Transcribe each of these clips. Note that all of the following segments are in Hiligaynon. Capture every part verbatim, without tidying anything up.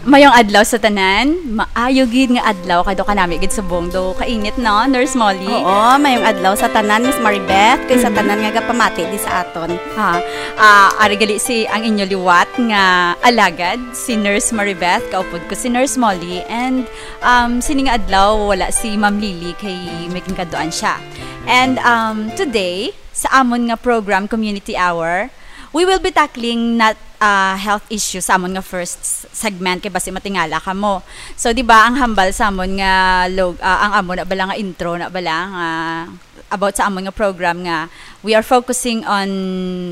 Mayong adlaw sa tanan. Maayo gid nga adlaw kadto kanami gid subong. Do kainit, no, Nurse Molly? Oo, mayong adlaw sa tanan, Miss Maribeth, kag sa Mhm. tanan nga gapamati di sa aton. Ha, ah, ari gali si ang inyo liwat nga alagad, si Nurse Maribeth, kaupod ko si Nurse Molly, and, um, sini nga adlaw wala si Ma'am Lily kay may ginkaduan siya. And, um, today, sa amon nga program, Community Hour, we will be tackling not, ah, health issues sa amon nga first s-, segment, kay basi matingala kamo. So, di ba, ang hambal sa amon nga log-, ah, ang amon na bala nga intro na bala nga about sa amon nga program nga we are focusing on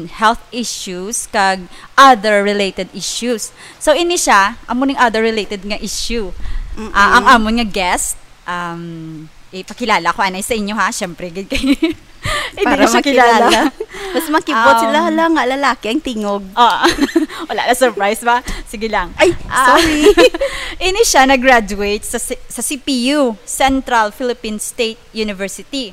health issues kag other related issues. So, ini siya, amo ning other related nga issue. Mm-mm. Ah, ang amon nga guest, um, ipakilala ko anay sa inyo, ha, syempre, gid kay hindi Para niyo siya kilala. makilala. Mas makibot sila, Um, hala nga, lalaki ang tingog. Ah, wala na, surprise ba? Sige lang. Ay, Ah, sorry. Ini siya nag-graduate sa si-, sa C P U, Central Philippine State University.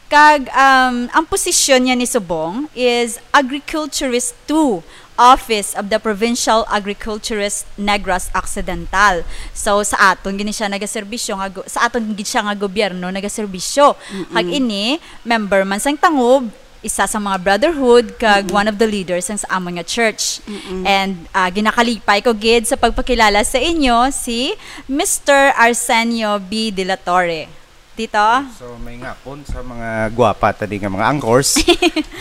Kag, um, ang posisyon niya ni subong is Agriculturist two, Office of the Provincial Agriculturist, Negros Occidental. So, sa aton gini siya nagaserbisyo nga gu-, sa aton gid siya nga gobyerno nagaserbisyo. Mm-mm. Kag ini, member man sang Tangob, isa sa mga brotherhood, kag Mm-mm. one of the leaders sang sa amon nga church. Mm-mm. And, ah, ginakalipay ko gid sa pagpakilala sa inyo si Mister Arsenio B. De la Torre. Tito? So, may ngapon sa mga gwapa tani nga mga anchors, mga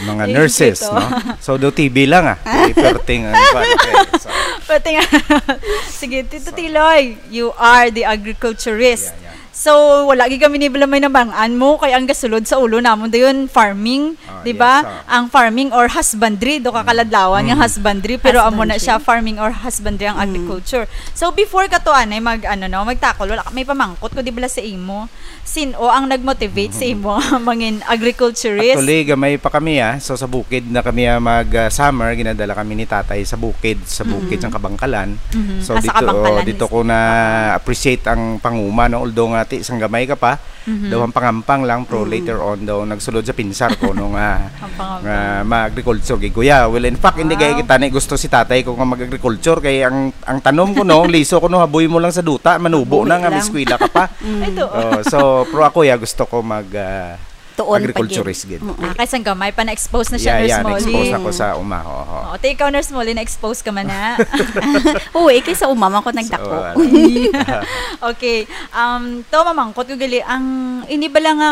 Thank you, nurses, Tito. no? So, do T V lang, ah. Di perting ang kwan, okay. So, Pati nga. Sige, Tito So, Tiloy, you are the agriculturist. Yeah, yeah. So, wala gid kami ni Bala may nabang-an mo, kay ang gasulod sa ulo namon dayon farming, Ah, di ba? yes, ah. Ang farming or husbandry, do ka Mm. kaladlawan nga Mm. husbandry, pero amo na siya, Husbandry. farming or husbandry ang Mm. agriculture. So, before ka to, anay, mag, ano, no, magtakol, wala ka, may pamangkot ko, di bala sa imo? Sin-o ang nag-motivate sa imo mangin agriculturist? Actually, gamay pa kami, ah. So, sa bukid na kami, ah, mag, ah, summer, ginadala kami ni tatay sa bukid, sa bukid Mm-mm. sang Kabangkalan. Mhm. So, Ah, sa dito, Kabangkalan dito mismo. ko na-appreciate ang panguma, no? Although nga, ti, sang gamay ka pa, Mhm. daw ang pangampang lang, pero Mm. later on, daw nagsulod sa pinsar ko, no, nga, Ang pangampang. nga ma-agriculture gid ko. Yeah, well, in fact, hindi Wow. kay kita ni gusto si tatay ko nga mag-agriculture, kay ang, ang tanom ko, no, ang liso ko, no, haboy mo lang sa duta, manubo Haboy na nga, may lang. eskwela ka pa. Mm. Ito. Oh, so, pero ako, ya, gusto ko mag, ah, Tuon pa agriculturist gid. gid. Mm-mm. Ah, kay sang gamay pa na-expose na siya, Yeah, Nurse yeah, Molly. na-expose ako sa uma, ho, ho. Oo, ti ikaw, Nurse Molly, na-expose ka man na. Oo, eh, kay sa uma man ko So, nagdako. ah, Okay. Um, to, mamangkot ko gali, ang ini bala nga,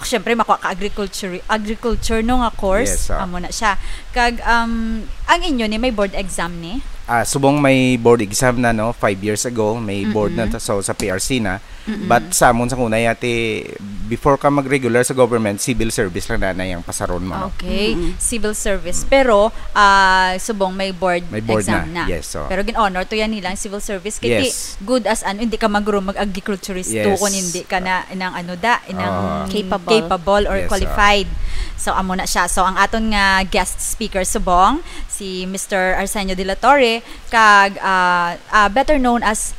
syempre, makuha ka agriculture, agriculture, no, nga course, Yes, ah. amo na siya. Kag, um, ang inyo ni may board exam ni? Ah, subong may board exam na, no, five years ago, may board na Mm-mm. ta-, so sa P R C na. Mm-mm. But sa amon sa kunay, ate, before ka mag-regular sa government, civil service lang na, na yung pasaron mo, no? Okay, Mm-mm. civil service. Mm. Pero, ah, subong may board May board exam na. na. Yes, so. Pero gin-honor to yan nilang civil service. Kay Yes. ti, good as ano, hindi ka magro mag-agriculturist to Yes. kung hindi ka na, inang ano da, inang Ah. Capable. capable or Yes, ah. qualified. So, amo na siya. So, ang aton nga guest speaker subong, si Mister Arsenio de la Torre, kag, ah, ah, better known as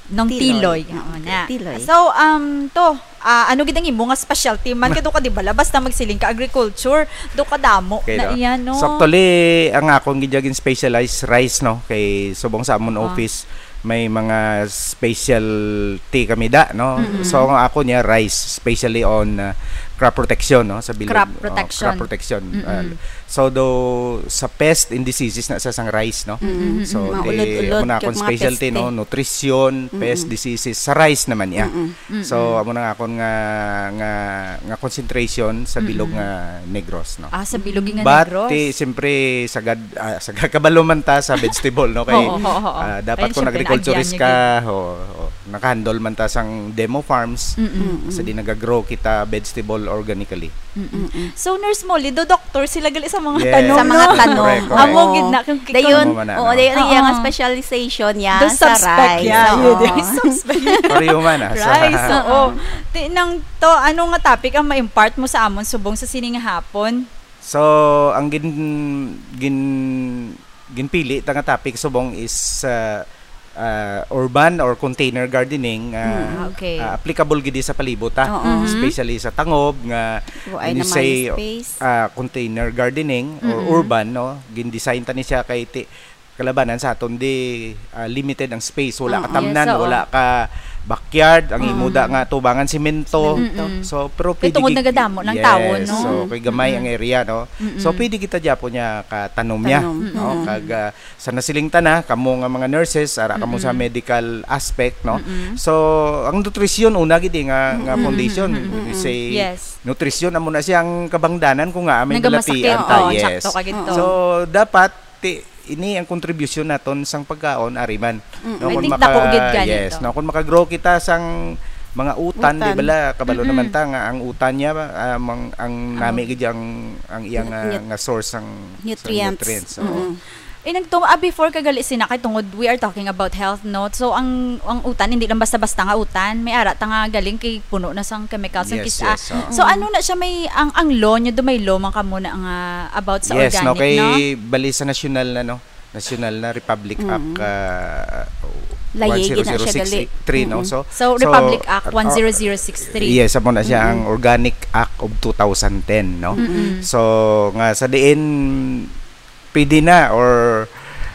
Nong Tiloy. Tiloy. Amo Okay. na. Tiloy. So, um, to, ah, ano gid ang imo nga specialty man? Kay do ka, di bala, basta magsiling ka agriculture, do ka damo Okay, na no? iya, no? So, actually, ang akon gid yung specialized rice, no? Kay subong sa amon Ah. office, may mga specialty kami da, no? Mm-mm. So, ang ako niya, rice, especially on, uh, crop protection, no? Sa bilog, Crop oh, protection. crop protection. Mm-mm. Uh, so, do, sa pest and diseases na sa sang rice, no? Mm-mm. So, Mga di, ulod-ulod, amo na akong kag mga specialty, peste. no? Nutrition, pest, Mm-mm. diseases, sa rice naman, yeah. Mm-mm. So, Mm-mm. amo na nga akon nga, nga, nga concentration sa bilog Mm-mm. nga Negros, no? Ah, sa bilog nga But, Negros? ti, siyempre, sagad, ah, sagad kabalo man ta sa vegetable, no? Kay, Oo, oo, oo. ah, dapat Ayun, kung siyempre, agriculturist naagyan niya ka, gid. ho, ho, nakahandle man ta sang demo farms, Mm-mm. sa di nagagrow kita vegetable organically. Mm-mm. Mm-mm. So, Nurse Molly, do doktor sila gali sa mga Yes. tanom, Sa mga no? tanom. Correct, correct. Amo Oo. gid na, kung Dayon, Amo man na, oo, no? dayon ang iya nga Oo. specialization niya Do sa suspect, rice. yeah, Oo. yun, yung suspect. Pareho man, ah, sa Rice, oo. Oo. Ti-, nang to, ano nga topic ang ma-impart mo sa amon subong sa sini nga hapon? So, ang gin-, gin-, ginpili ta nga topic subong is, ah, ah, urban or container gardening, ah, Mm. Ah, okay. ah, applicable gid sa palibot, ah. Oo. Mhm. Especially sa Tangob nga Wa ay when you na say, may space. ah, container gardening or Mm-mm. urban, no? Gin-design ta ni siya kay ti-, kalabanan sa aton di, ah, limited ang space. Wala Oo. ka tamnan, Yes, oo. wala ka backyard, ang imo Mm. da nga tubangan simento. Mm-mm. So, pero Kay pwede tungod gid, nagadamo ng yes, tawo, no? so, kay gamay Mm-mm. ang area, no? So, Mm-mm. pwede kita gyapon niya katanom niya, Tanom. no? Mm-mm. Kag, ah, sa nasiling ta na, kamo nga mga nurses, ara kamo sa Mm-mm. medical aspect, no? Mm-mm. So, ang nutrisyon, una gid eh, nga, nga Mm-mm. foundation, Mm-mm. we say, Yes. nutrisyon, amo na siya ang kabangdanan kung nga may Nagamasakit. balatian ta, Oo, yes. sakto ka gid to. So, dapat, ti, ini ang kontribusyon naton sang pagkaon, ari man. Mm. No, I kung think maka-, dako gid gani yes, to. no, kung makagrow kita sang mga utan, di Utan. bala, kabalo Mm-mm. naman ta nga ang utan niya, ah, mang-, ang Ang nami gid ang, ang iya nga, Nut-, nga source sang, sang Nutrients. nutrients, oo. Mm-mm. Eh, nagtum-, ah, before ka gali sina kay tungod we are talking about health, no? So, ang, ang utan, hindi lang basta-basta nga utan. May ara ta nga galing kay puno na sang chemicals, ang Yes, kis-, ah. yes, oo. So, ano na siya, may, ang, ang law niya, do may law man kamo na nga about sa Yes, no, organic, kay no? bali sa nasyonal na, no? Nasyonal na Republic Mm. Act, ah, Layi, gid na siya gali. one zero zero six three, no? Mm. So, So, so, Republic Act ah, one zero zero six three. yes, amo na siya ang Mm. Organic Act of two thousand ten, no? Mm-mm. So, nga sa diin, pwede na, or,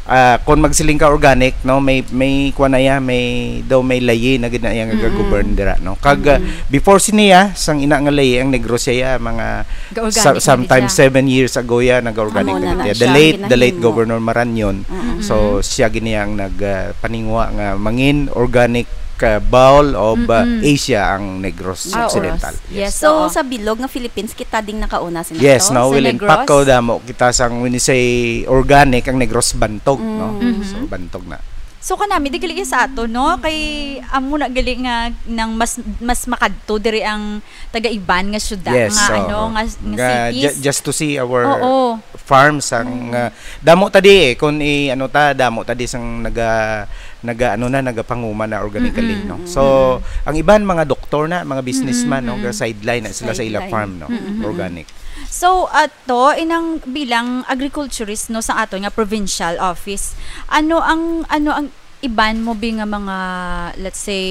ah, kung magsiling ka organic, no, may, may kuwan na iya, may, daw may layi na gid na iya nga Mm-mm. ga-govern dira, no? Kag, ah, Mm-mm. before siniya, sang ina nga layi, ang Negros siya, mga Ga-organic sa-, na gid sometimes siya. seven years ago ya, naga-organic Amo na na na gid siya. siya. The late, the late Ginahimo. Governor Marañon. Mm-mm. So, siya gid niya ang nag, ah, paningwa nga mangin organic, ah, bowl of, ah, Mm-mm. Asia ang Negros Ah, Occidental. oras. Yes. Yes, So, oo. sa bilog nga Philippines, kita ding nakauna sina Yes, to? no, Sa Wilin, Negros? pako damo kita sang, when you say organic, ang Negros bantog, no? Mm. Mhm. So, bantog na. So, kanami, di gali sa ato, no? Kay, amo na gali nga nang mas, mas makadto diri ang taga-iban nga syudad, Yes, nga, oo. ano, nga, nga Nga cities. ju-, just to see our Oo. farms, ang, Mm. ah, damo ta di eh, kung i-, ano ta, damo ta di sang naga-, naga-, ano na, nagapanguma na organically, Mm-mm, no? mm-mm. So, ang iban, mga doktor na, mga businessman, no? Mm-mm, mm-mm. Ga-sideline na sila sa ila Sideline. farm, no? Mm-mm, mm-mm. Organic. So, ato, inang bilang agriculturist, no, sa aton nga provincial office, ano ang, ano ang iban mo bi nga mga, let's say,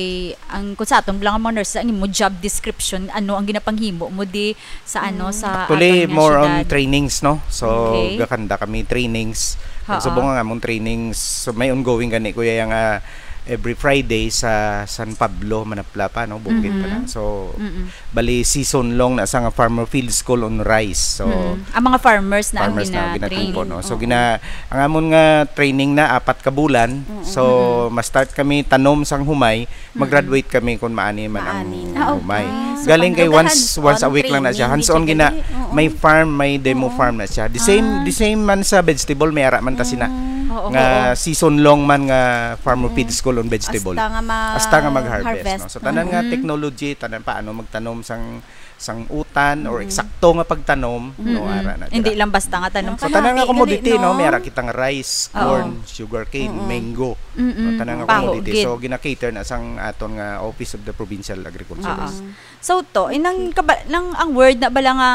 ang, kung sa aton lang nga mga nurses, ang imo job description, ano ang ginapanghimo mo di sa, ano, Mm. sa Actually, aton nga more on syudad? trainings, no? So, Okay. gakanda kami trainings. Ha-ha. Subong nga among trainings, so, may ongoing gani, kuya, yang, ah, every Friday sa San Pablo, Manapla pa, no? Bukid pa na. Mm-hmm. So, Mm-mm. bali, season long na sa nga Farmer Field School on Rice. So, Mm-mm. Ang mga farmers na ang farmers na ang gina-train. ginatipon, no? So, Oo. gina-, ang amon nga training na apat ka bulan. Mm-mm. So, Mm-mm. ma-start kami tanom sang humay, Mm-mm. mag-graduate kami kung maani man ang Maani na. Ah, okay. humay. Ah, so, Galing kay panggaga once, hands-on once a week lang na siya. training, Hands-on di siya gina, gali. Oo. may farm, may demo Oo. farm na siya. The same, Oo. the same man sa vegetable, may ara man ta sina. Mm. Oo, Nga oo. season long man nga farmer Mm. feed school on vegetable. Hasta nga ma-, Hasta nga mag-harvest, harvest. no? So, tanan nga Mm. technology, tanan paano magtanom sang, sang utan or Mm. eksakto nga pagtanom, no, Mm-mm. ara na Hindi dira. lang basta nga tanom So, ka tanan lang. nga Di commodity, gali, no? no? May ara kitang rice, Oo. corn, sugarcane, Mm-mm. mango. Mm-mm. No, tanan nga Baho, commodity. gid. So, gina-cater na sang aton nga Office of the Provincial Agriculturist. Oo. So, to, inang kaba-, nang ang word na bala nga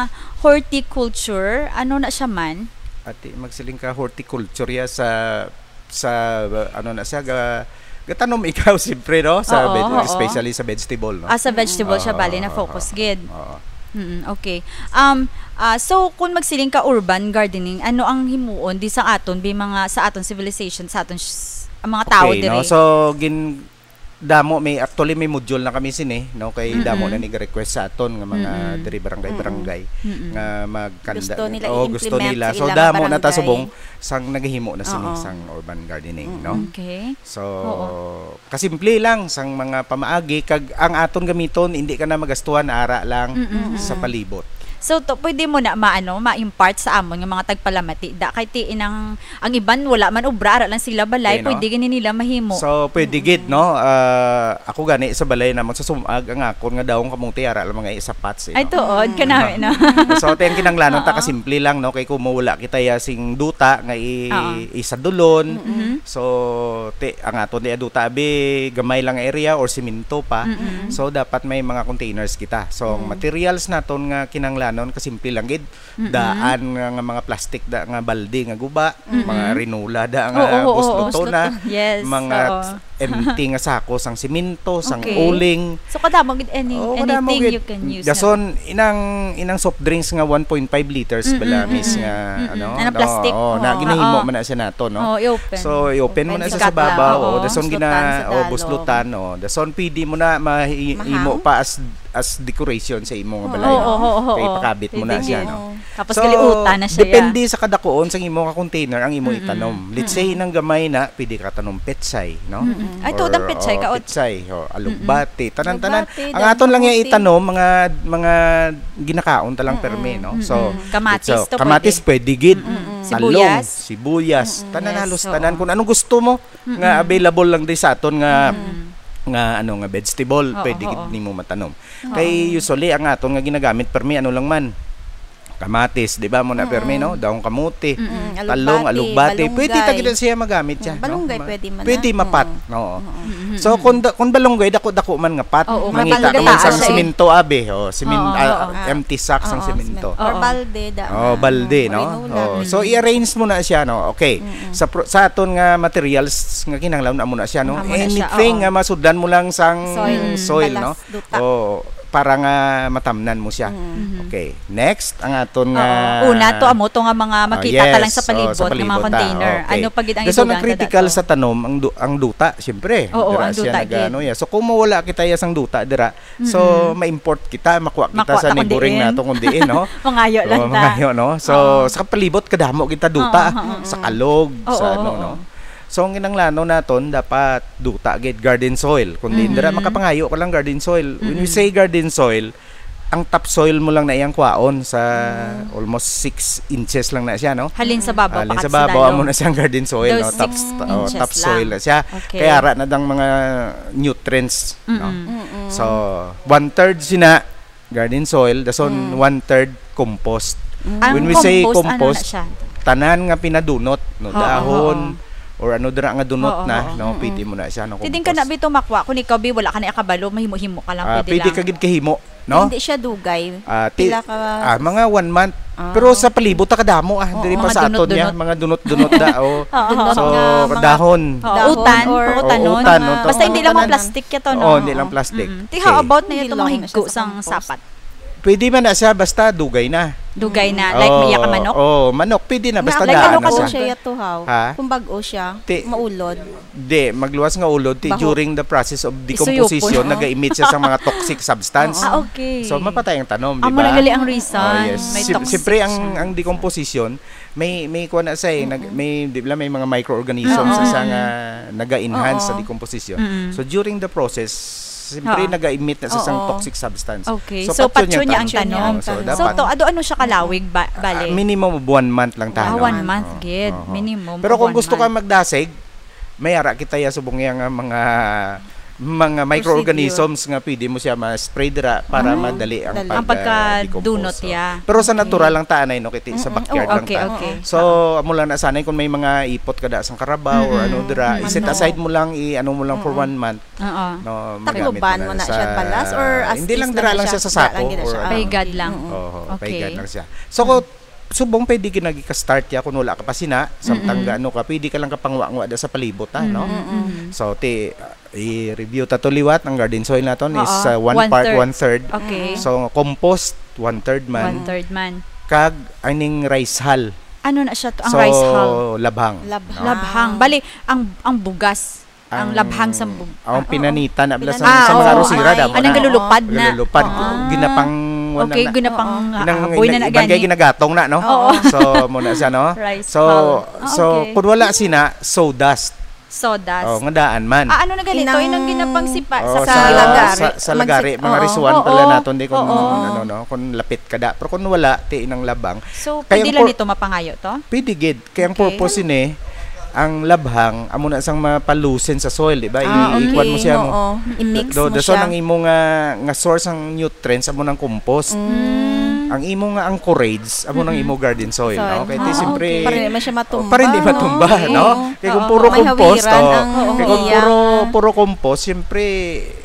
horticulture, ano na siya man? Ati, magsiling ka horticulture ya sa, sa, ano na siya, ga-, gatanom ikaw, siyempre, no? Sa Oo, veg-, oo. especially sa vegetable, no? Ah, sa vegetable siya, Oo, bali na oo, focus oo. gid. Oo. Mm, okay. Um, ah, so, kung magsiling ka urban gardening, ano ang himuon di sa aton, bi mga, sa aton civilization, sa aton sh-, ang mga tao Okay, no? diri? So, gin-, damo, may, actually, may module na kami sini, no? Kay damo Mm-mm. na nag-request sa aton nga mga Mm-mm. diri barangay-barangay Mm-mm. nga magkanda-, Gusto nila oo, gusto i-implement nila. sa So, ilang damo na ta barangay. subong sang naghimo na sini Oo. sang urban gardening, Mm-mm. no? Okay. So, Oo. kasimple lang sang mga pamaagi kag ang aton gamiton, hindi ka na magastuhan, ara lang Mm-mm. sa palibot. So, to, pwede mo na maano, ma-impart sa amon nga mga tagpalamati. Da, kay ti inang Ang iban, wala man obra, ara lang sila balay, Okay, no? pwede gani nila mahimo. So, pwede Mm. gid, no? Ah, ako gani sa balay namon sa sumag, ang akon nga dahong kamote, ara lang mga isa pots, eh, Ay, no? tuod, kanami, no? So, ti ang kinahanglanon ta Oo. kasimple lang, no? Kay kung mawala kita ya sing duta nga i-, Oo. isadulon. Mm-hmm. So, ti, ang aton ti duta, abi, gamay lang area or simento pa. Mm-mm. So, dapat may mga containers kita. So, ang Mm. materials naton nga kinahanglanon, kasimple lang gid, Mm-mm. daan nga, nga mga plastic da, nga balde nga guba, Mm-mm. mga rinola da nga Oo, oo, oo, buslotona, buslotona. Yes, mga oo. empty nga sako sang simento, sang Okay. uling. So, kadamo gid any, Oh, kadamo anything gid. you can use na. Dason, inang, inang soft drinks nga one point five liters Mm, bala, mm, miss, mm, nga, mm, mm. ano, Anang no? plastic? Oh, na, Oo. ginahimo Oo. man na siya nato, no? Oh, i-open. So, i-open mo Open. na siya Sikat sa babaw, lang. oh. Oo. Dason Buslutan gina, sa oh, talong. buslutan, oh. Dason pwede mo na mahi-, Mahang? imo pa as, as decoration sa imo nga Oo. balay. Oo, oo, oo, Kay oo. pakabit mo na Pwede siya, gid. no? Oo. Tapos So, galiutan na siya, depende ya. sa kadakuon sang imo nga container ang imo Mm-mm. itanom. Let's say, Mm-mm. inang gamay na, pwede ka tanom petsay, no? Mm-mm. Ay, tuod ang Or, petsay oh, ka, ot. petsay, oh, alugbate, tanan-tanan. Alugbate, Ang damo aton lang ya kamote. itanom, mga, mga ginakaon ta lang Mm-mm. permi, no? So, Mm-mm. Kamatis so, to kamatis pwede. pwede gid. Mm-mm. Talong, Sibuyas. sibuyas, Mm-mm. tanan Yes, halos oo. tanan. Kung anong gusto mo, nga Mm-mm. available lang di sa aton nga, Mm-mm. nga, ano, nga vegetable, Oo, pwede gid oo. nimo matanom. Oo. Kay usually, ang aton nga ginagamit, permi, ano lang man, kamatis, di ba, mo na, permi, no? Mm-mm. Daong kamote, Mm-mm. talong, Alugbati, alugbati. Pwede ta balunggay. gid siya magamit siya, Mm, no? balunggay, Ma-, pwede man pwede na. mapat, Mm-mm. oo. Mm-mm. So, kung da-, kung balunggay, dako-dako man nga pat, Oo, mangita ka man mataas sang siya eh. simento, abi, oh, simin-, Oo, ah, oo. empty sack sang Oo, simento. simento. Or Oo. balde, da-, Oh, balde, no? marinola. Oh, so, Mm-mm. i-arrange mo na siya, no? Okay. Mm-mm. Sa pro-, sa aton nga materials nga kinahanglan, amo na siya, no? Amo na siya, Anything oo. nga masudlan mo lang sang Soil, soil, balas, no? duta. Oh, para nga matamnan mo siya. Mm. Mhm. Okay. Next, ang aton Oo. nga Una, to amo to nga mga Ah, makita ta lang yes. sa Oh, palibot sa nga mga palibot, ah. container. Okay. Ano pa gid ang Dason ang idugang ta critical dato? sa tanom, ang du-, ang duta, siyempre. Oo, Dira ang siya duta nag-, gid. ano, ya. So, kung mawala kita ya sang duta, dira, so, Mm-mm. ma-import kita, makuha kita Makuha sa ta kung neighboring diin. nato kung diin, no? Mangayo So, lang ta. mangayo, no? So, Oo. sa palibot, kadamo kita duta. Oo, oo, Sa oo. kalog, Oo, sa ano, oo. no? So, ang ginanglano naton, dapat duta gid, garden soil. Kung diin dira, Mm-mm. makapangayo ka lang garden soil. When we Mm-mm. say garden soil, ang topsoil mo lang na iyang kwaon sa Mm. almost six inches lang na siya, no? Halin sa babaw, Halin pakat sa sa babaw, amo dalom. na siyang garden soil, Daw no? Top, six oh, inches topsoil lang. na siya. Okay. Kaya ara na dang mga nutrients, no? Mm-mm. Mm-mm. So, one-third sina garden soil, dason Mm. one-third compost. Mm. Ang When we say compost, ano na compost, siya? tanan nga pinadunot, no? Oo, Dahon, oo. or ano dira nga dunot Oo, na, oo. no? Mm-mm. Pwede mo na siya, no? Pwede ka na Compost. bito makwa, kung ikaw, bi, wala ka na ikabalo, mahimo-himo ka lang, Ah, pwede pwede lang. ka gid kahimo, no? Hindi siya dugay. Ah, ti-, Pila ka ah, mga one month. Ah. Pero sa palibot, ta kadamo, ah. Oo. Diri pa Mga sa aton niya, dunot-dunot. mga dunot-dunot da, oh. Oo. Dunot So, nga mga dahon. Oo, dahon utan, or utanon. Oo, utan, no? Basta hindi lang mga Tanan. plastic ya to, no? Oo, hindi lang Oo. plastic. Mm-mm. Ti, Okay. how about na Hindi ito, mga lang na siya higko sa sang compost. sapat? Pwede man na siya, basta dugay na. Dugay na, like, Oo, maya ka manok? oo, manok, pwede na, basta Like, daan ano na ka siya. dun? Siya ya to, how? Ha? Kung bag-o siya, Ti-, maulod. Di, magluwas nga ulod, ti, Baho. during the process of Isuyupon. decomposition, Oo. naga-emit siya sa mga toxic substance. Oo. Ah, okay. So, mapatay ang tanom, di Amo ba? na gali ang reason. Oh, yes. May Sim-, toxic siyempre, ang, siya. ang decomposition, may, may kuha na siya eh, nag-, Mm-mm. may, di ba, may mga microorganisms Oo. sa siya nga Mm-mm. naga-enhance sa Oo. decomposition. Mm-mm. So, during the process, siyempre, Oo. naga-emit na siya sang Oo. toxic substance. Okay. So, So, patyon niya patyon niya ang ang tanom. tanom. Oo, so, So, dapat to, ado ano siya kalawig, ba-, Ah, bale? minimum of one month lang Ah, tanom. one month, Oo. gid. Oo. Minimum Pero of kung one gusto ka month. magdasig, may ara kita ya subong ya nga mga, mga Procedure. microorganisms nga pwede mo siya ma-spray dira para Ah. madali ang Dali. Ang pag, ah, pagkadunot decompose, oh. ya. Pero sa Okay. natural lang ta anay, no, kay ti-, sa Mm-mm. backyard Oo. lang Okay, ta. okay. So, amo lang na sanay kung may mga ipot ka da sang karabaw or Mm-mm. ano dira, Mm. i-set Ano? aside mo lang, i-ano mo lang for Mm-mm. one month, Oo. no, magamit Takloban mo mo na na siya sa, balas or as hindi is lang lang dira na lang siya? siya sa Dira lang sako gid na or siya. ano. Paigad lang. Mm-mm. Oo, Okay. paigad lang siya. So, Mm. kung subong pwede gid na gika-start ya kung wala ka pa sina, samtang Mm-mm. gaano ka, pwede ka lang kapangwa-ngwa da sa palibot, ah, no? Mm-mm. Mm-mm. So, ti, ah, i-review ta to liwat, ang garden soil naton is, Oo. ah, one part, One-third. one-third. Okay. Mm-mm. So, compost, one-third man. One-third man. Kag aning rice hull. Ano na siya to, ang So, rice hull? labhang. Labhang. No? Labhang. Bali, ang, ang bugas, ang Ang, labhang sa bug-, ang ah, pinanita na bala sa, Pinanita. sa mga Ah, oo, arosira, ay. damo Anong na. galulupad na? Galulupad. Oo. Ginapang, wala Okay, na. ginapang, Oo. ah, Ginang-, boy na gina-, na ibang kaya gani. ginagatong na, no? Oo. So, muna siya, no? Rice So, hull. Ah, so, okay. kung wala sina, sawdust. Sawdust. Oh, nga daan man. Ah, ano na ganito? Inang Inang ginapang sipa Oh, sa sa, sa lagari. sa, sa lagari, Magsip-, mga oo. risuan pala Oo. naton, di kung Oo. ano, no? Kung lapit ka da. Pero kung wala, ti inang labang. So, Kaya pwede ang lang por-, nito mapangayo to? Pwede gid. Kaya ang Okay. purpose ini, ang labhang, amo na sang mapalusin sa soil, di ba? I-, Ah, okay. ikuan mo siya mo. Oo. I-mix Do, mo dason siya. ang imo nga, nga source ang nutrients, amo nang compost. Mm. Ang imo nga anchorage, amo nang Mm-mm. imo garden soil, Soil. no? Kaya ti, Ah, siyempre, okay. Para hindi man siya oh, matumba, para hindi no? matumba, Okay. no? Oo. Kaya kung Oo. puro May compost, hawiran oh, ang kaya kung iya. puro, puro compost, siyempre,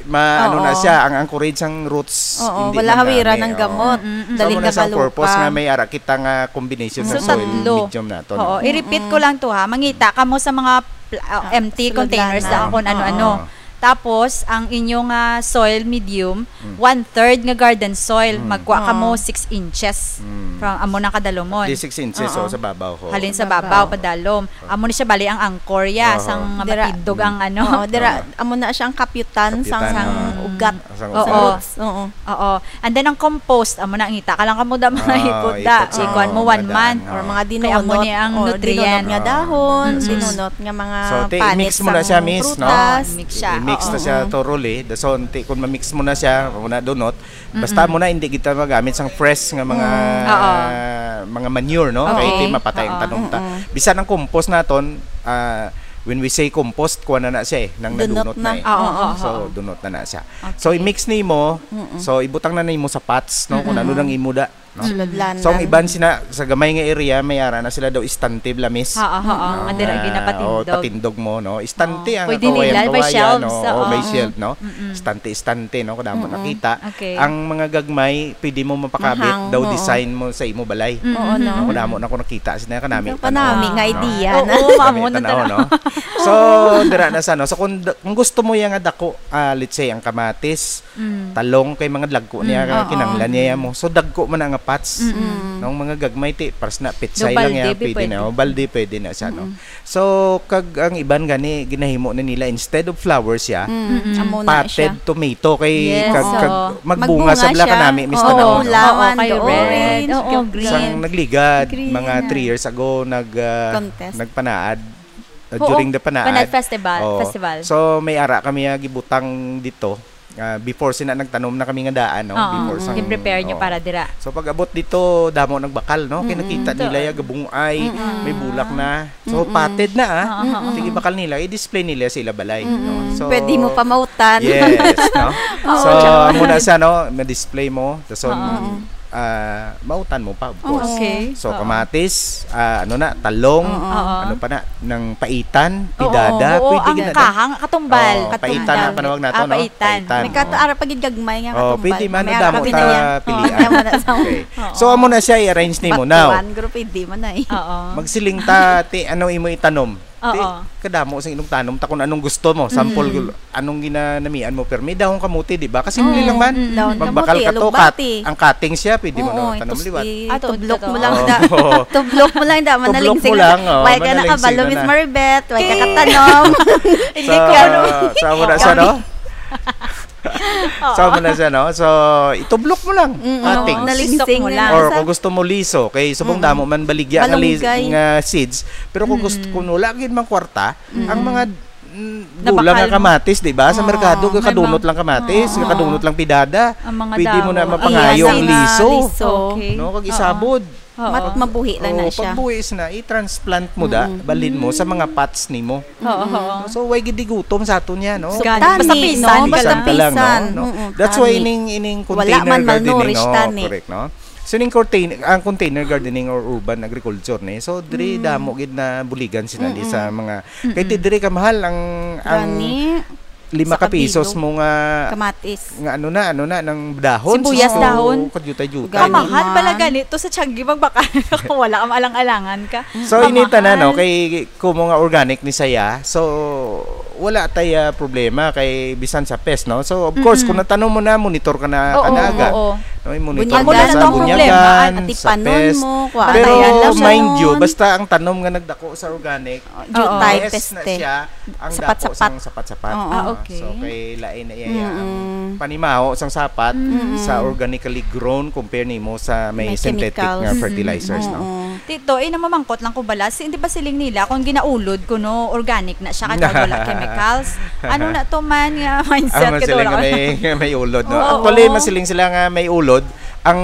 ma-, ano na Oo. siya, ang anchorage, ang roots, Oo, hindi wala man na, hawiran eh, ang oo. gamot. Mm-mm. So, Dali amo na na sa kalupa. purpose nga may ara kita nga combination So, sa soil tatlo. medium nato, no? Oo, i-repeat ko Mm-mm. lang to, ha. Mangita kamo sa mga pla-, ah, Ah, empty sulod containers lang. Lang kung ano-ano. Ah. Tapos, ang inyo nga soil medium, Mm. one-third nga garden soil, Mm. magkuha ka mo Oo. six inches. Mm. From amo na kadalumon. Di six inches, Oo. so, sa babaw, ho. Halin sa Sa babaw, babaw. padalom. Amo ni siya, bali, ang anchor, ya, Aha. sang Dira, matindog ang ano. Oo, dira, Aha. amo na siya ang kapyutan sang, Kapyutan, sang aha. ugat. Sang Oo. ugat. Roots, oo. Oo. And then, ang compost, amo na, ngita ka lang kamo da, mga Ah, hipot da. Hipot sa Ikuan mo, mga one daan, month. Or oo. Mga Kaya amo dinunot, ni ang or nutrient. dinunot nga dahon, Mm-mm. dinunot nga mga So, ti, panit i-mix mo na sang siya, miss, no? prutas. Oo, i-mix siya. I-mix na Oo. siya thoroughly. Dason, ti, kung ma-mix mo na siya, kung na dunot, basta Mm-mm. mo na, hindi kita magamit sang fresh nga mga, Mm. Oo. mga manure, no? Kay Okay. ti mapatay ang Oo. tanom ta. Mm-mm. Bisan ang compost naton, ah, when we say compost, kuha na na siya eh, nang Dunot nadunot na na. eh. Oo, oo, So, oo. dunot na na siya. Okay. So, i-mix nimo, Mm-mm. so, ibutang na nimo sa pots, no? Kung ano Mm-mm. lang imo da. No? Sulod lang. So, ang iban sina, sa gamay nga area, may ara na sila daw istante, blamis. Ha, ha, ha. Oo, nga dira Ah, ginapatindog. Oh, patindog mo, no? Istante Oo. ang Pwede kawayan, nila, may kawayan, shelves, no? Oh, oo. may shelf, no? Mm-mm. Istante, istante, no? Kadamo Mm-mm. nakita. Okay. Ang mga gagmay, pwede mo mapakabit, Mahang, daw oo. design mo sa imo balay. Mm-mm. Oo, no? No, kadamo na ko nakita, sina kanami, Ang kanami tanaw, nga no? idea Oo, na. oo, Kanami, maamo na tanaw, tanaw. no? So, dira na sa, no? So, kung, kung gusto mo yan nga dako, ah, let's say, ang kamatis, Mm. talong kay mga dagko niya, Mm. Oo. kinanglan niya mo. So, dagko man ang nga pots. Mm-mm. Nang mga gagmay, ti, paras na, pitsay Daw lang balde, yan, bi, pwede pwede. na. O, balde, pwede na siya, no? Mm-mm. So, kag ang iban gani, ginahimo na nila, instead of flowers siya, Mm-mm. Mm-mm. Amo na siya. potted tomato, kay Yes, kag, oo. kag magbunga Magbunga sa bla siya. kanami, Miss Oo, Tanaw, no? bulawan, Oo, kay the red. orange, Oo, kag green. Sang nagligad, Green mga na. three years ago, nag, ah, Contest. nagpanaad, ah, Oo, during the panaad. Panaad Festival, Oo. festival. So, may ara kami, ah, gibutang dito. Ah, before sina nagtanom na kami nga daan, no? Oo, Before sang, gi-prepare nyo oo. para dira. So, pag abot dito, damo nagbakal, no? Kay Mm-mm. nakita nila ya gabungay, Mm-mm. may bulak na. So, Mm-mm. potted na, ah. Oo, oo. Sige, bakal nila, i-display nila sa ila balay, Mm-mm. no? So, Pwede mo pa mautan. Yes, no? Oo. So, amo na siya, no? Ma-display mo. So, Oo. ah, mautan mo pa, of Oo. course. Okay. So, Oo. kamatis, ah, ano na, talong, Oo. Oo. ano pa na, nang paitan, Oo, pidada, oo, pwede ang gid na. kahang, katumbal. Oo, Katumbal. paitan ang panawag nato, Ah, no? paitan. Paitan, May oo. kato ara pa gid gagmay nga Oo, katumbal. pwede man, May ara damo pa ta gid yan. pilian. Oo, damo na sa Okay. Oo. So, amo na siya, i-arrange nimo. Now, Batuan, guro, pwede man ay. Oo. magsiling ta, ti, ano imo itanom? Ti, Oo. kadamo sa inong tanom, ta kung anong gusto mo. Sample, Mm. anong ginanamian mo, pero may dahon kamote, di ba? Kasi Oo. hindi lang man. Mm. Dahon Magbakal kamote, ka to, alugbati. kat-, ang cutting siya, pwede mo Oo, na tanom itus-, liwat. Ah, to-, Tublok to-, mo to. lang da. Oo. Tublok mo lang da, Tublok manaling mo sing lang, oh, Why ka manaling nakabalo, sing Miss na. Maribeth? Why ka King. katanom? Hindi Sa, ko, ano. sa una siya, no? Oo. Sa una siya, no? So, itublok mo lang. Mm, Cutting. oo, Nalisok mo nalingsing lang. na Or sa kung gusto mo liso, kay subong Mm. damo man baligya nga lis-, Malunggay. nga seeds, pero kung gusto, Mm. kung wala gid mang kwarta, Mm. ang mga, mm, Nabakal gulang nga mo. kamatis, di ba? Sa Oo, merkado, may kakadunot mga lang kamatis, Oo. kakadunot lang pidada. Ang mga Pwede mo na damo. mapangayo Iya, ang na liso. liso. Okay. No, kag Oo. isabod. Oo. Mat-, mabuhi lang na Oo, siya. pagbuhis na, i-transplant mo da, Mm-mm. balhin mo sa mga pots nimo. Oo, oo. So, why gid di gutom sa aton niya, no? Gani, Tani, basta pisan no? ka Basta lang. Pisan ka lang, no? pisan. No? Mm-mm, That's why tani. ining, ining Wala container man gardening, malnourished, oh, tani. correct, no? So, ining contain-, ang container gardening or urban agriculture ni, so, diri Mm. damo gid na buligan sila di sa Mm-mm. mga, Mm-mm. kay ti diri kamahal ang, ang Gani. lima Sa ka pisos kabilog. mo nga Kamatis. nga ano na, ano na, nang dahon, Sibuyas sus, dahon. kadyutay-dyutay. Gani Kamahal man. pala ganito sa Tiangge magbakal ka kung wala ka maalang-alangan ka. So, Kamahal. inita na, no, kay kumo nga organic ni saya. So, wala tay, ah, problema kay bisan sa pest, no? So, of course, Mm-mm. kung natanom mo na, monitor ka na Oo, kanaga. oo. No, i-monitor Bunyagan mo na sa mo. bunyagan, Atipanon sa pest. mo, kuha Pero, ka ng mind you, lamon. basta ang tanom nga nagdako sa organic, Oh, jutay, Yes, na peste. siya. Ang Sapat-sapat. dako sang sapat-sapat. Oo. Ah, okay. So, kay lain na iya ang Mm-mm. panimaho sang sapat Mm-mm. sa organically grown compare nimo sa may May synthetic chemicals. nga fertilizers, Mm-mm. no? Oo. Tito, eh, namamangkot lang ko bala. Si, di ba siling nila, kung ginaulod ko, no, organic na siya, kaya wala chemicals? Ano na to man nga mindset, Ah, kaya siling wala nga ka may, may ulod, no? Oo. Actually, masiling sila nga may ulod. Ang,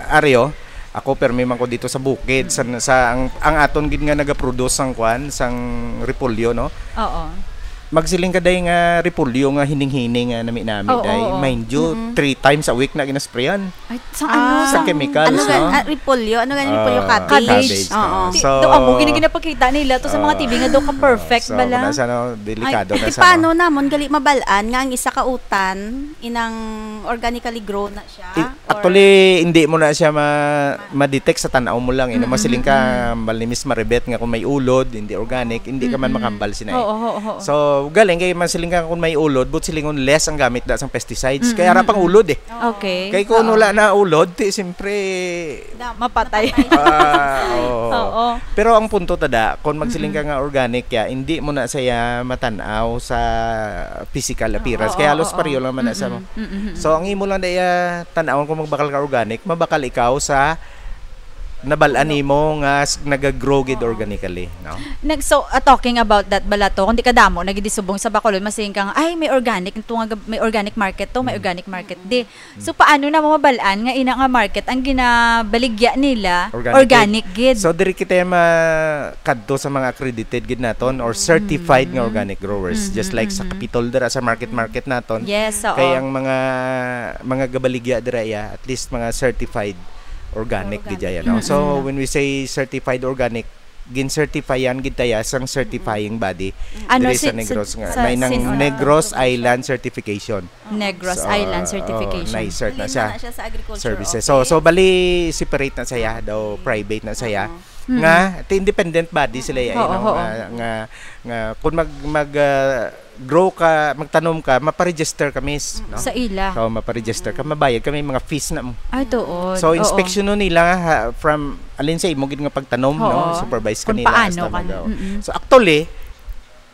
Ario, Ako, permi man ko dito sa bukid, sa, sa ang, ang aton gid nga nagaproduce sang kwan, sang repolyo, no? Oo. Magsiling ka, day, nga repolyo nga hining-hining nga nami-nami, Oo, day. oo. Mind you, Mm-mm. three times a week na ginasprayan. Ay, sa Ah. ano? Sa Sa chemicals, ano ga-, no? ah, repolyo? Ano gani repolyo? Ah, Cabbage. cabbage. Oo. Ah, Ti-, so, do, amo, gini ginapakita nila to sa mga ah, T V nga do ka perfect so, bala. Nasa, no, delikado Ay, na ti sa, paano no? namon gali mabal-an nga ang isa ka utan inang organically grown na siya? I-, Or actually, hindi mo na siya ma-, ma-detect sa tan-aw mo lang, eh, no? Mm-mm, Masiling ka, mm-mm. bali ni Miss Maribet nga kung may ulod, hindi organic, hindi ka man Mm-mm. makambal sina, eh. Oo, oo, oo. So, galing kay masiling ka kung may ulod, but silingon less ang gamit da sang pesticides. Kay ara Mm-mm, pang mm-mm. ulod, eh. Okay. Kay kung Oo. wala na ulod, ti, siyempre, Da-, Mapatay. mapatay. Ah, oo. Oo. Pero ang punto tada, kung magsiling ka Mm-mm. nga organic ya, hindi mo na siya matan-aw sa physical appearance. Oo, Kaya halos oo, pareho oo. lang man na sa Mm-mm, mm-mm. So, ang imo lang daya tan-awon kung magbakal ka organic, mabakal ikaw sa nabal-an Puno. nimo nga s-, nagagrow gid Oo. organically, no? Nag-, so, ah, talking about that bala to, kung di ka damo, nagidisubong sa Bacolod, masiling ka nga, "Ay, may organic, ito nga gab-, may organic market to, may Mm. organic market di." Mm. So, paano na mabal-an nga ina nga market ang ginabaligya nila, Organic organic gid? gid? So, diri kita makadto sa mga accredited gid naton or certified nga Mm. organic growers, Mm-hmm, just like sa mm-hmm. Capitol dira sa market, market naton. Yes, oo. Kay ang mga, mga gabaligya dira, ya, at least mga certified organic gid Organic. ya, no? So, Mm-mm. when we say certified organic, gin-certifyan gid ta ya sang certified body Ano diri si, sa Negros nga sa may nang Sin-, Negros Island Certification. Negros So, Island oo, Certification. na-insert na Link siya. na siya sa agriculture Services. So, office. so bali separate na siya, daw Okay. private na siya. Oo. Mm. Nga, ti independent body sila ya, Oo, no? oo. Nga, nga, nga, kung mag, mag, ah, grow ka, magtanom ka, maparegister ka, miss, Mm. no? Sa ila. So, maparegister ka, Mm. mabayad ka, may mga fees na mo. Ay, tuod. So, Oo. inspeksyonon nila, ha, from, alin sa imo gid nga pagtanom, no? Oo. Supervise ka Kung nila paano hasta ka na. magaw. Mm-mm. So, actually,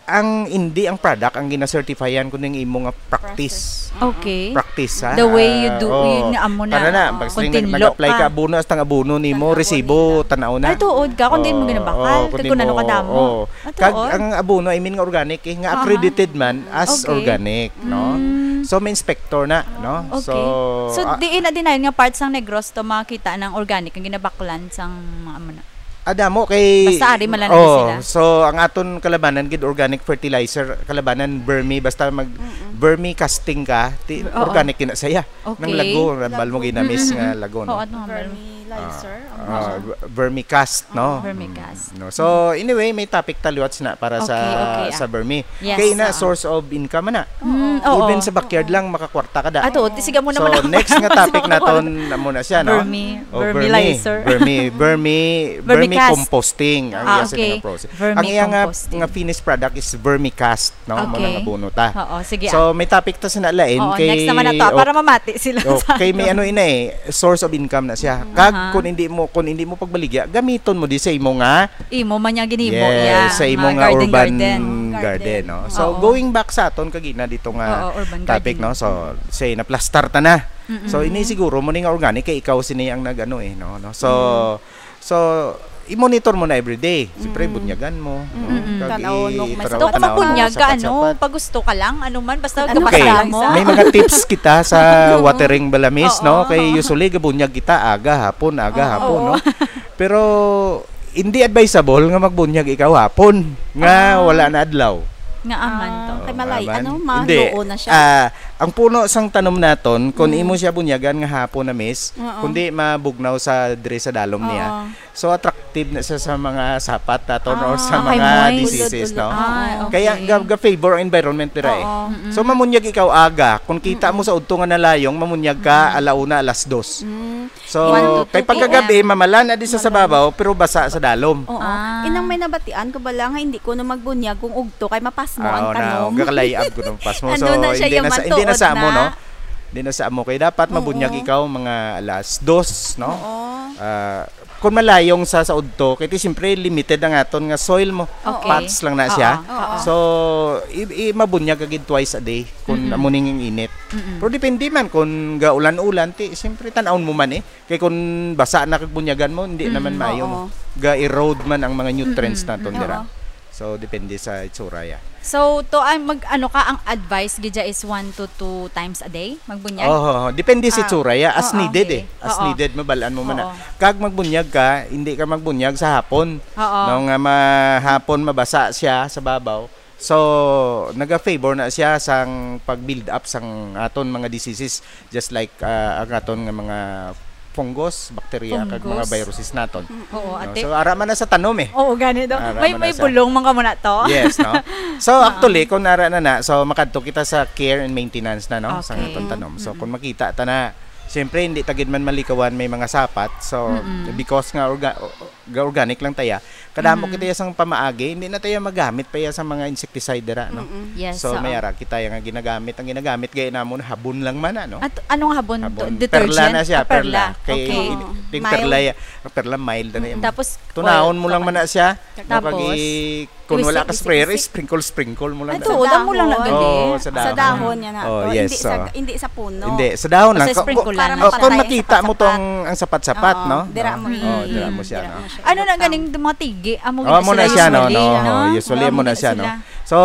ang hindi ang product ang ginasertifiyan kundi ang imo nga practice. Process. Okay. Practice, ha? The way you do, Ah, oo. yun nga amo na. Kana na, Oo. pag siling nag-, Continue nag-apply ka. ka abono, hasta ang abono nimo, Tan-awon resibo, nila. tan-aw na. Ay, tuod ka, kung diin mo Oo, ginabakal, oo, kag kung kung ano mo, kadamo. oo. Ah, Kag tuod? ang abono, I mean nga organic, eh, nga Aha. accredited man as Okay. organic, no? Mm. So, may inspector na, no? Okay. So, So, ah, diin na dinayon nga parts sang Negros to makita ng organic ang ginabaklan sang mga amo na? Adamo kay Basta ari man lang Oh, sila. so ang aton kalabanan gid organic fertilizer, kalabanan vermi, basta mag Mm-mm. vermi casting ka, ti-, Oo. organic yun na saya. Okay. Nang lago, rambal mo Lago. ginamis Mm-mm. nga lago, no? Oo, ano nga ba? Vermi Ah, licer, ang ah, mga ver-, vermicast, no? Oo. Vermicast. Mm, no. So, anyway, may topic ta liwat na para sa, Okay, okay, ah. sa vermi. Yes, Kay na oo. source of income na. Mm, oo. Even sa backyard Oo. lang, makakwarta ka da. Ato, ti siga mo So, naman ang next nga topic Sa naton, amo na siya, no? Vermi, Oh, vermi vermi. licer. Vermi, vermi, vermi Vermicast. composting ang Ah, iya sa okay. nga process. Vermi Ang iya nga, composting. nga finished product is vermicast, no? Mao na Okay. nga abono ta. Oo, sige, So, ah. may topic ta sa nalain Oo, kay, next naman na to, ah, oh, para mamati sila oh, sa kay may ano. ano ina eh, source of income na siya. Kag Aha. kung hindi mo, kung hindi mo pagbaligya, gamiton mo di sa imo nga Imo man niya ginimo, Yes, yeah, sa imo nga nga garden, urban garden. garden, no? So, Oo. going back sa aton kagina dito nga Oo, urban topic, gardening. no? So, say, naplastar ta na. Mm-mm. So, ini siguro mo ni nga organic kay ikaw sini ang nag-ano eh, no? No? So, Mm. so, i-monitor mo na everyday. Siyempre, Mm. bunyagan mo, no? Mm-mm. Kag Tan-awon mo i-, kung may tan-, sapat-sapat. Dapat tan-awon mo, mabunyag ka, ano, sapat-sapat. pag gusto ka lang, ano man, basta Ano gabasa Okay, ka lang mo? sa may mga tips kita sa Oo. watering balamis, Oo. no? Kay usually, gabunyag kita aga, hapon, aga, Oo. hapon, Oo. no? Pero, hindi advisable nga magbunyag ikaw hapon nga Ah. wala na adlaw. Nga aman to. Ah, kay malay, Aman. ano, Hindi. maluo na siya. Ah, ang puno sang tanom naton, kung Mm. imo siya bunyagan nga hapon na, miss, Oo. kundi mabugnaw sa, diri sa dalom niya. Oo. So, attractive na siya sa mga sapat naton or sa Ah, mga okay, moist. diseases, no? Ah, okay. Kaya ga-, ga-favor ang environment dira eh. Oo. Mm-mm. So, mamunyag ikaw aga. Kung kita mo Mm-mm. sa udto nga nalayong, mamunyag ka Mm. alauna, alas dos. Mm. So, One to kay two pagkagabi, P M. mamalan na di sa Mamalan. sababaw, pero basa sa dalom. Oo. Ah. Inang may nabatian ko bala nga hindi ko na magbunyag kung ugto kay mapasmo Ah, ang oo na, tanom. gakalay-ab ko ng pasmo. Ano So, na siya, hindi yung na sa, hindi na matuod sa amo, na. no? Hindi na sa amo. Kaya dapat Oo. mabunyag ikaw mga alas dos, no? Oo. Ah, kung malayong sa, sa udto, kaya siyempre limited ang aton nga soil mo. Okay. Pots lang na siya. Oo, oo. So, i, i, mabunyag ka gid twice a day kung Mm-mm. amo ning init. Mm-mm. Pero depende man kung gaulan-ulan, ti, siyempre tan-awon mo man eh. Kay kung basa na kag bunyagan mo, hindi Mm, naman maayo. oo. Ga-erode man ang mga nutrients Mm-mm, naton mm-mm. dira. Oo. So, depende sa itsura ya. So, to, ah, mag, ano ka, ang advice gid dya is one to two times a day magbunyag? Oho, depende sa Ah, itsura ya. As oo, needed okay. eh. As Oo. needed, mabalaan mo man na. Oo. Kag magbunyag ka, hindi ka magbunyag sa hapon. Oo. No, nga ma-, hapon mabasa siya sa babaw. So, naga-favor na siya sang pag-build up sang aton mga diseases, just like, ah, ang aton nga mga fungus, bacteria, kag mga Fungus. Viruses naton. Oo, No? ate. So, ara man na sa tanom eh. Oo, gani daw. Ara May man na may sa bulong man ka muna to. Yes, no? So, Ah. actually, kung ara na na, so makadto kita sa care and maintenance na, no? Sa Okay. aton tanom. So, Mm-mm. kung makita ta na, siyempre, hindi ta gid man malikawan may mga sapat. So, Mm-mm. because nga orga- ga-organic lang taya, kadamo Mm-hmm. kita sang pamaagi, hindi na tayo magamit pa iya sa mga insecticide dira, no? Mm-mm. Yes, So, oo. may ara kita yung ginagamit. Ang ginagamit gaya namon habon lang man, ano? At anong habon? Habon. Do-, Perla detergent? na siya, Ah, perla. perla. Kay Okay. in-, Oo. yung Mild. perla ya-, ang perla mild na Mm, yan. tapos Tunahon oil, mo lang okay. man na siya. No, Tapos, kag i-, kung wala ka Iwisik, sprayer, isik, isik. sprinkle, sprinkle mo lang Ay, na. to, damo lang na Dahon. gali. Oo, sa Sa dahon. dahon niya na Oh, to. yes, Hindi sa, so. hindi sa puno. Hindi, sa dahon lang. Basta Ka-, sprinkle ka-, lang. oh, Para kung mapatay ang makita mo sapat-sapat. tong ang sapat-sapat, Ah, no? dira mo Oh, i-, dira mo siya, dira no? mo siya Ano na i-tap. ganing mga tigi? Amo Oh, gid amo sila na siya, no, usually, no? no? Oh, usually, Amo amo na gid siya, no? sila. So,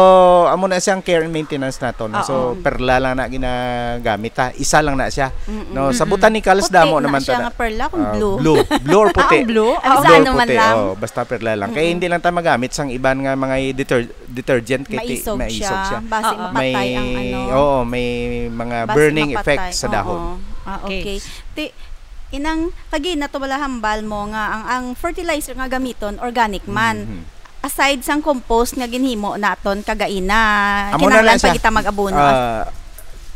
amo na siyang care and maintenance nato, no? So, Oo. perla lang na ginagamit, ha? Isa lang na siya, Mm-mm. no? Sa Mm-mm. botanicals, Puti damo na naman siya ta-, nga perla, kung ah, blue. blue. Blue or Ah, puti. ang blue? Ah, Blue or ano man puti, lang. oh, basta perla lang. Kaya Mm-mm. hindi lang ta magamit sang iban nga mga deter-, detergent kay ti-, Maisog maisog siya. siya. Basi Oo. mapatay May, ang ano. oo, may mga Basi burning mapatay. effects sa dahon. Oo. Ah, Okay. okay. Ti, inang, kagi na to wala hambal mo nga ang, ang fertilizer nga gamiton, organic man. Mhm. Aside sang compost nga ginhimo naton kagaina, Amo na kinahanglan lang pa siya. kita mag-abono. Ah,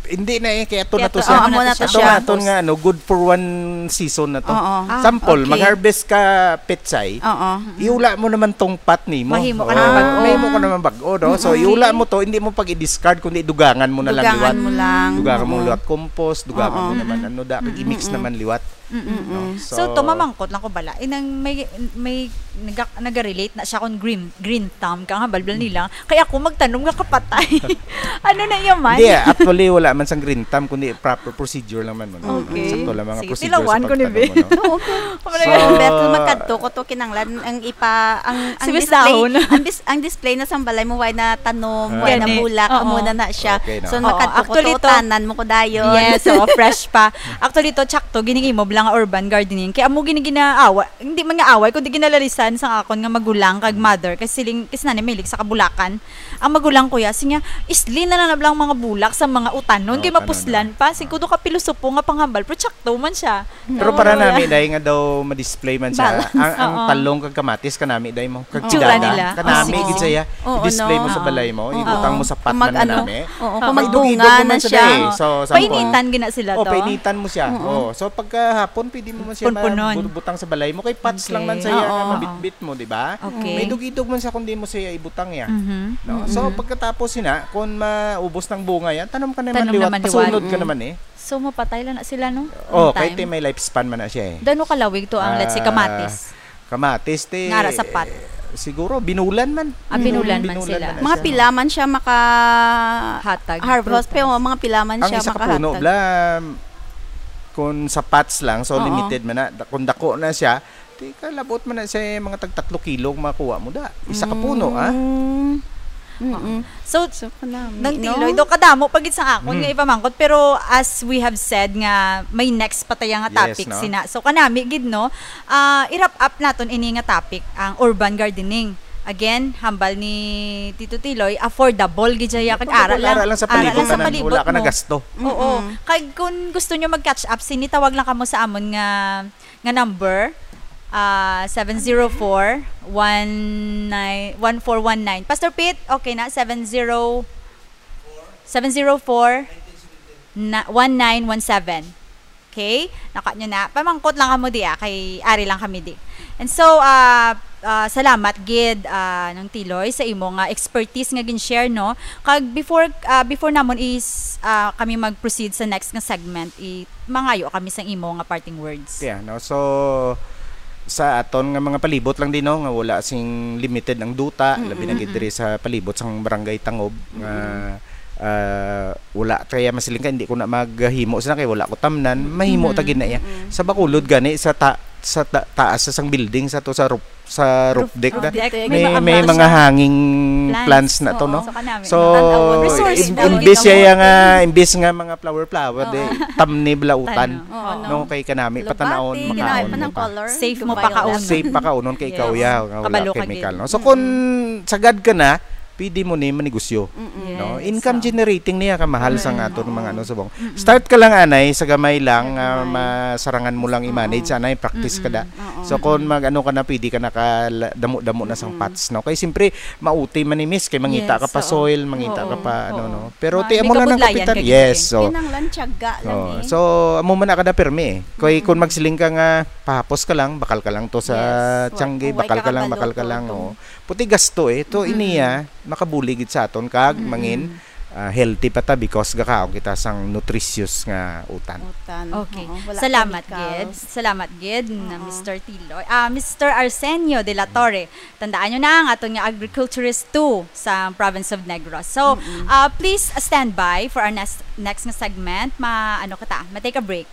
hindi na eh, kaya ito na Kaya to to, siya. oh, amo na to Ito siya. na to nga, ano, good for one season na to. Oo. Ah, Sample, okay. mag-harvest ka petsay, Oo. iula mo naman tong pot nimo. Mahimo ka Oo, naman bag-o. mahimo ka naman bag-o, no? So, Mm-mm. iula mo to, hindi mo pag i-discard, kundi dugangan mo na lang Dugangan liwat. mo lang. Dugangan mo Oo. liwat compost, dugangan mo Oo. naman, ano, da, Mm-mm. i-mix Mm-mm. naman liwat. Mm-mm. No? So, So, to mamangkot lang ko bala. Inang may, may naga-, naga-relate na siya kung green, green thumb ka nga, balbal nila. Kaya ako magtanom nga kapatay. Ano na iya man? Hindi, actually, wala man sang green thumb, kundi proper procedure lang man mo, no? Okay. Sakto lang mga Sige, procedure sa tilawan ko ni pagtanom Beth. mo, no? Oo, okay. Wala So, yung Beth, magkadto ko to, kinanglan, ang ipa, ang, ang Sibis display, dahon. ang dis-, ang display na sa balay mo, why na tanom, Ah. why na Gani. bulak, Oo. amo na na siya. Okay, no? So, Oo, magkadto ko actually to, to. utanan mo ko dayon. Yes, oo, fresh pa. Actually to, tsakto, gining imo bala nga urban gardening. Kaya amo gini ginaawa, hindi man nga away, kundi ginalalisan sa akon nga magulang kag mother. Kasi siling, kasi nanay mahilig sa kabulakan. Ang magulang ko ya, siya, isli na lang na bala ang mga bulak sa mga utanon, Oo, kay utanon, mapuslan oo. pa. Sige, kudo ka pilosopo nga panghambal, pero tsakto man siya. Pero Oo, para kuya. nami, dahil nga daw ma-display man siya, Balance. ang, ang Oo. talong kag kamatis, kanami, dahil mo, kag Tsura gidada, nila. kanami, Oo. gid siya, Oo, i-display no? mo sa Oo. balay mo, Oo. ibutang mo sa pot Kung man mag-ano, kanami. oo, Oo. kung May magbunga dugidog man na siya, siya. eh. So, sample. Painitan gina sila Oh, to? painitan mo siya. Oo. Oh, so, pagkahapon, pwede mo man siya Punpunon. mabutang sa balay mo, kay pots lang man Okay. siya, Oo. nga mabitbit mo, di ba? Okay. May dugidog man siya kung di mo siya ibutang ya. Mhm. No? So, Mm. pagkatapos sina, kung maubos ng bunga yan, tanom ka naman Tanom liwat, naman liwat. pasunod ka Mm. naman eh. So, mapatay lang na sila, no? Oh, On kay time. ti may lifespan man na siya eh. Dano kalawig to ang, let's say, Ah, kamatis? kamatis, ti, Ngara sapat. eh, siguro, binulan man. Ah, binulan man Binulan sila. man na Mga siya. pila man siya maka Hatag harvest, frutas. pero mga pila man Ang siya isa ka puno, makahatag. bla, kung sa pots lang, so Oo. limited man na. Da-, kung dako na siya, ti kalabot man na siya, mga tag tatlo kilo ang makuha mo da. Isa ka puno, ah. Mm. Mm-mm. So, So, kanami, Nang no? Tiloy, do kadamo pa gid sa akon Mm. nga ipamangkot, pero as we have said nga may next pa taya nga Yes, topic no? sina. So, kanami gid, no? Ah, i-wrap up naton ini nga topic, ang urban gardening. Again, hambal ni Tito Tiloy, affordable gid siya, kag Affordable, ara lang, ara lang sa ara palibot lang sa tanan, palibot wala ka mo. nagasto. Oo. Mm-mm. Kag kung gusto nyo mag-catch up, sini tawag lang kamo sa amon nga, nga number, ah, seven zero four, one nine, one four one nine. Pastor Pete, okay na? Seven zero, seven zero four, na, one nine one seven. Okay? Naka nyo na. Pamangkot lang kamo di, ah, kay ari lang kami di. And so, ah, ah, salamat gid, ah, Nang Tiloy, sa imo nga expertise nga gin-share, no? Kag before, ah, before namon is, ah, kami mag-proceed sa next nga segment, i-, mangayo kami sang imo nga parting words. Yeah, no? So, sa aton nga mga palibot lang din, no, nga wala sing limited ang duta, Mm-mm, labi na gid mm-mm. diri sa palibot sang Barangay Tangob, nga, Mm-mm. ah, wala kaya masiling ka, hindi ko na maghimo sina kay wala ko tamnan, mahimo ta Mm-mm, gid na iya. mm-mm. Sa Bacolod gani, sa ta-, sa ta-, taas sa sang building, sa to, sa roof, sa roof Roof, deck roof na, deck. may, May mga may ambal mga siya. hanging Plants. plants na to, Oo. no? So, kanami. So, Tan-awon. Resource im-, na imbis gid siya ang nga, imbis nga mga flower-flower, Oo. di, tamni bala utan. Tan-, Oo, no? no? Kay kanami, Lubati, patanaon, ginawa makaon pa ng mo pa. color, Safe mo dubai pa ang kaunon. Safe pa kaunon kay Yes. ikaw, ya, nga wala Kabalo ka chemical, gid. no? So, Mm-mm. kung sagad ka na, pwede mo ni manegosyo. Mm-mm. Yes, No? Income oo. Generating niya ka mahal sang Mm-mm. aton mga Oo. ano subong. Mm-mm. Start ka lang anay sa gamay lang Sa nga gamay. masarangan mo lang Oo. i-manage anay, practice ka da. Oo. So kung mag ano ka na, pwede ka nakadamo-damo na sang Mm-mm. pots, no? Kay siyempre mauti man ni miss kay mangita ka Yes, pa oo. soil, mangita ka Oo. pa ano, Oo. no? Pero Ma- ti may amo lang nang kabudlayan kapitan. ka gid, Yes, eh. so Kinahanglan tiyaga lang Oh, eh. so amo man na kada permi eh. Kay Mm. kung magsiling ka nga pahapos ka lang, bakal ka lang to sa Yes. tiyangge, Wa- bakal ka wala lang, ka bakal ka luto lang. to. Oh. Puti gasto eh. To Mm-mm. iniya makabulig gid sa aton kag Mm-mm. mangin ah, healthy pa ta because gakaon kita sang nutritious nga utan. Utan. Okay. Oo, wala Salamat chemical. gid. Salamat gid na Oo. Mister Tiloy. Ah, Mister Arsenio de la Torre. Tandaan nyo na ang aton nga agriculturist two sa province of Negros. So, Mm-mm. ah, please stand by for our next next nga segment. Ma ano kita, ma-take a break.